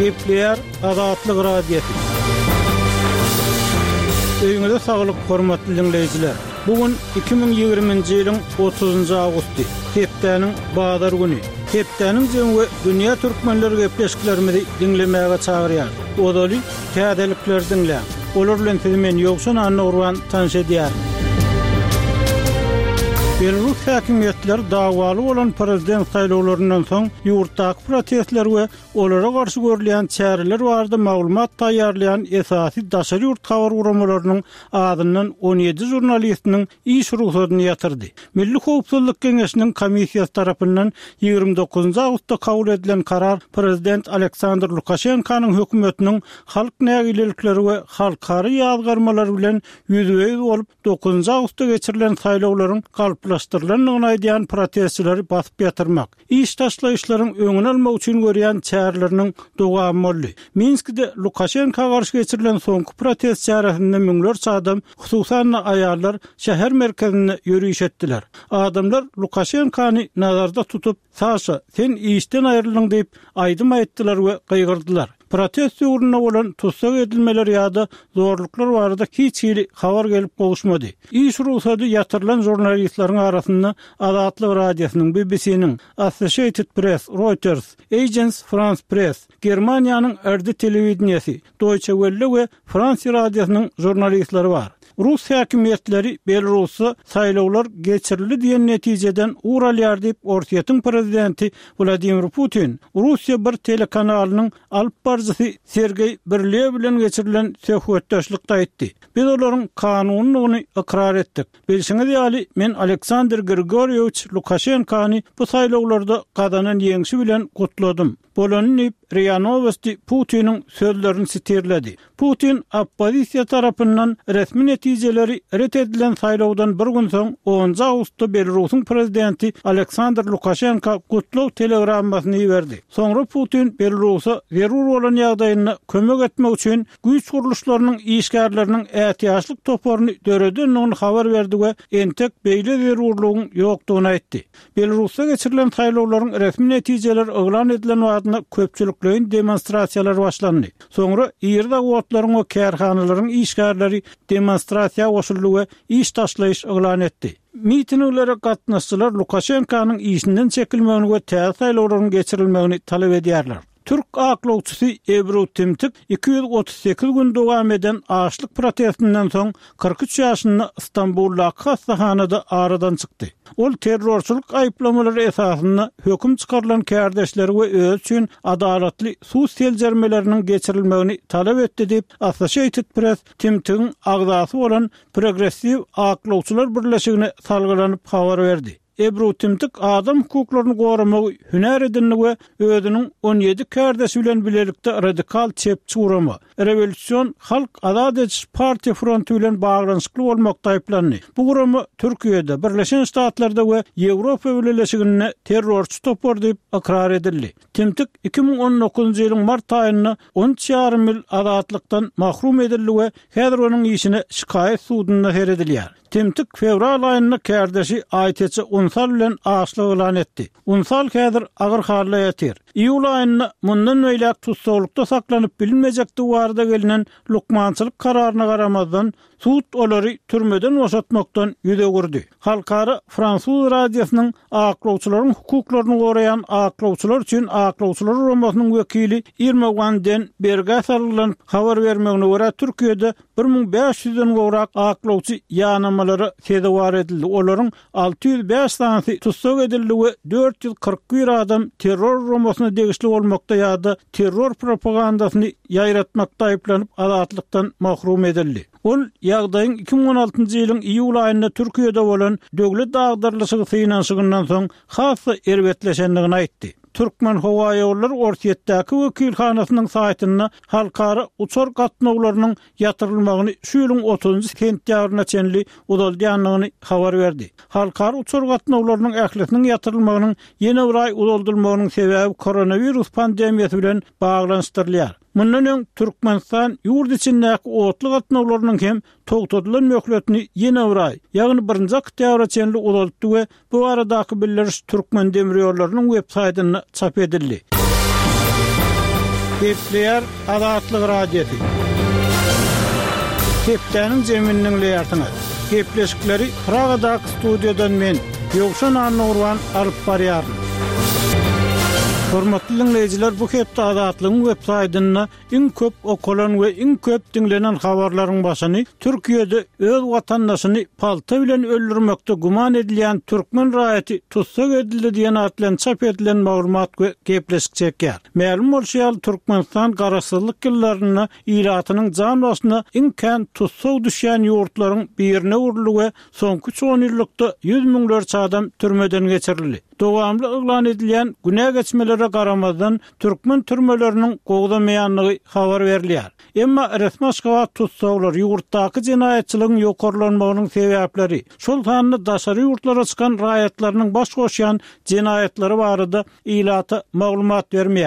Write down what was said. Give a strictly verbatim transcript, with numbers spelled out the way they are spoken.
Gepleýär Azatlyk Radiosy. Öýüňize saglyk, hormatly diňleýjiler. Bu gün iki müň ýigriminji ýylyň otuzynjy awgusty, hepdäniň bazar güni. Hepdäniň jemi we dünýä türkmenleri gepleşiklerimizi diňlemäge çagyrýar. Ozaly täzelikleri diňläň. Olar bilen sizi men Ýowşan Annagurban tanyş edýärin. Belarus häkimiýetleri dawaly bolan prezident saýlawlaryndan soň ýurtdaky protestler we olara garşy görülýän çäreler barada maglumat taýýarlaýan esasy daşary ýurt habar guramalarynyň azyndan on ýedi žurnalistiniň iş rugsadyny ýatyrdy. Milli howpsuzlyk geňeşiniň komissiýasy tarapyndan ýigrimi dokuzynjy awgustda kabul edilen karar prezident Aleksandr Lukaşenkanyň hökümetiniň halk nägilelikleri we halkara ýazgarmalary bilen ýüzbe-ýüz bolup dokuzynjy awgustda geçirilen saýlawlaryň galplaşdyrylandygyny aýdýan protestçileri basyp ýatyrmak, iş taşlaýyşlaryň öňüni almak üçin görýän çäreleriniň dowamy boldy. Minskide Lukaşenka garşy geçirilen soňky protest çäresinde müňlerçe adam, hususan-da aýallar şäher merkezinde ýöriş etdiler. Adamlar Lukaşenkany nazarda tutup, Saşa, sen işden aýryldyň diýip, aýdym aýtdylar we gygyrdylar. Protest döwründe bolan tussag edilmeler ýa-da zorluklar barada hiç hili habar gelip gowuşmady. Iş rugsady ýatyrylan žurnalistleriň arasynda Azatlyk Radiosynyň, B B C-niň, Associated Press, Reuters, Agence France Press, Germaniýanyň R D telewideniýesi, Deutsche Welle we Fransiýa radiosynyň žurnalistleri bar. Rus häkimiýetleri Belarusda saýlawlar geçirildi diýen netijeden ugur alýar diýip Orsýetiň prezidenti Wladimir Putin Russiýa bir telekanalynyň alyp baryjysy Sergeý Birlew bilen geçirilen söhbetdeşlikde aýtdy. Biz olaryň kanunylygyny ykrar etdik. Bilşiňiz ýaly, men Aleksandr Grigorýewiç Lukaşenkany bu saýlawlarda gazanan ýeňşi bilen gutladym. Bolany diýip, R I A Novosti Putiniň sözlerini sitirledi. Putin oppozisiýa tarapyndan resmi netijeleri ret edilen saýlawdan bir gün soň onunjy awgustda Belarusyň prezidenti Aleksandr Lukaşenka gutlag telegrammasyny iberdi. Soňra Putin Belarusa zerur bolan ýagdaýynda kömek etmek üçin güýç gurluşlarynyň işgärleriniň ätiýaçlyk toparyny döredendigini habar berdi we entek beýle zerurlygyň ýokdugyny aýtdy. Belarusda geçirilen saýlawlaryň resmi netijeleri yglan edilen wagtynda köpçülikleýin demonstrasiýalar başlandy. Soňra iri zawodlaryň we kärhanalaryň işgärleri demonstrasiýa goşuldy we iş taşlaýyş yglan etdi. Mitinglere gatnaşyjylar Lukaşenkanyň işinden çekilmegini we täze saýlawlaryň geçirilmegini talap edýärler. Türk aklawçysy Ebru Timtik iki ýüz otuz sekiz gün dowam eden açlyk protestinden soň kyrk üç ýaşynda Stambuldaky hastahanada aradan çykdy. Ol terrorçylyk aýyplamalary esasynda höküm çykarylan kärdeşleri we özi üçin adalatly sud seljermeleriniň geçirilmegini talap etdi diýip Associated Press Timtigiň agzasy bolan Progressiw Aklawçylar Birleşigine salgylanyp habar berdi. Ebru Timtik adam hukuklaryny goramagy hünär edindi we özüniň on ýedi kärdeşi bilen bilelikde radikal çepçi gurama, Rewolýusion Halk Azat ediş Partiýa fronty bilen baglanyşykly bolmakda aýyplandy. Bu gurama Türkiýede, Birleşen Ştatlarda we Ýewropa Bileleşiginde terrorçy topar diýip ykrar edildi. Timtik iki müň on dokuzynjy ýylyň mart aýynda on üç ýarym ýyl azatlykdan mahrum edildi we häzir onuň işine şikaýat sudunda seredilýär. Timtik fewral aýynda kärdeşi Aýteçe Unsal bilen açlyk yglan etdi. Unsal häzir agyr halda ýatyr. Iýul aýynda mundan beýläk tussaglykda saklanyp bilinmejekdigi barada gelinen lukmançylyk kararyna garamazdan, sud olary türmeden boşatmakdan ýüz öwürdi. Halkara Fransuz radiosynyň aklawçylaryň hukuklaryny goraýan aklawçylar üçin aklawçylar guramasynyň wekili Irma Van den Berge salgylan habar bermegine görä Türkiýede bir müň bäş ýüzden gowrak aklawçy ýanamalara sezewar edildi. Olaryň alty ýüz bäş sanysy tussag edildi we dört ýüz kyrk bir adam terror guramasyna degişli bolmakda ýa-da terror propagandasyny ýaýratmakda aýyplanyp azatlykdan mahrum edildi. Ol ýagdaýyň iki müň on altynjy ýylyň iýul aýynda Türkiýede bolan döwlet agdarlyşygy synanyşygyndan soň has-da erbetleşendigini aýtdy. Türkmen howaýollary Orsýetdäki wekilhanasynyň saýtynda halkara uçar gatnawlarynyň ýatyrylmagyny şu ýylyň otuzynjy sentýabryna çenli uzaldýandygyny habar berdi. Halkara uçar gatnawlarynyň ählisiniň ýatyrylmagynyň ýene bir aý uzaldylmagynyň sebäbi koronawirus pandemiýasy bilen baglanyşdyrylýar. Mundan öň Türkmenistan ýurt içindäki otly gatnawlarynyň hem togtadylan möhletini ýene bir aý, ýagny birinji oktýabra çenli uzaltdy we bu baradaky bildiriş Türkmen demirýollarynyň web saýtynda çap edildi. Gepleýär Azatlyk Radiosy. Hepdäniň jemini diňleýärsiňiz. Gepleşikleri Pragadaky studiýadan men, Ýowşan Annagurban alyp barýaryn. Hormatly diňleýjiler, bu hepde Azatlygyň web saýtynda iň köp okalan we iň köp diňlenen habarlaryň başyny Türkiýede öz watandaşyny palta bilen öldürmekde güman edilýän türkmen raýaty tussag edildi diýen at bilen çap edilen maglumat we gepleşik çekýär. Mälim bolşy ýaly, Türkmenistan garaşsyzlyk ýyllarynda ilatynyň jan başyna iň kän tussag düşýän ýurtlaryň birine öwrüldi we soňky üç onýyllykda ýüz müňlerçe adam türmeden geçirildi. Dowamly yglan edilýän günä geçmelere garamazdan, türkmen türmeleriniň gowzamaýandygy habar berilýär. Emma resmi Aşgabat tussaglar, ýurtdaky jenaýatçylygyň ýokarlanmagynyň sebäpleri, şol sanda daşary ýurtlara çykan raýatlarynyň baş goşýan jenaýatlary barada ilata maglumat bermeýär.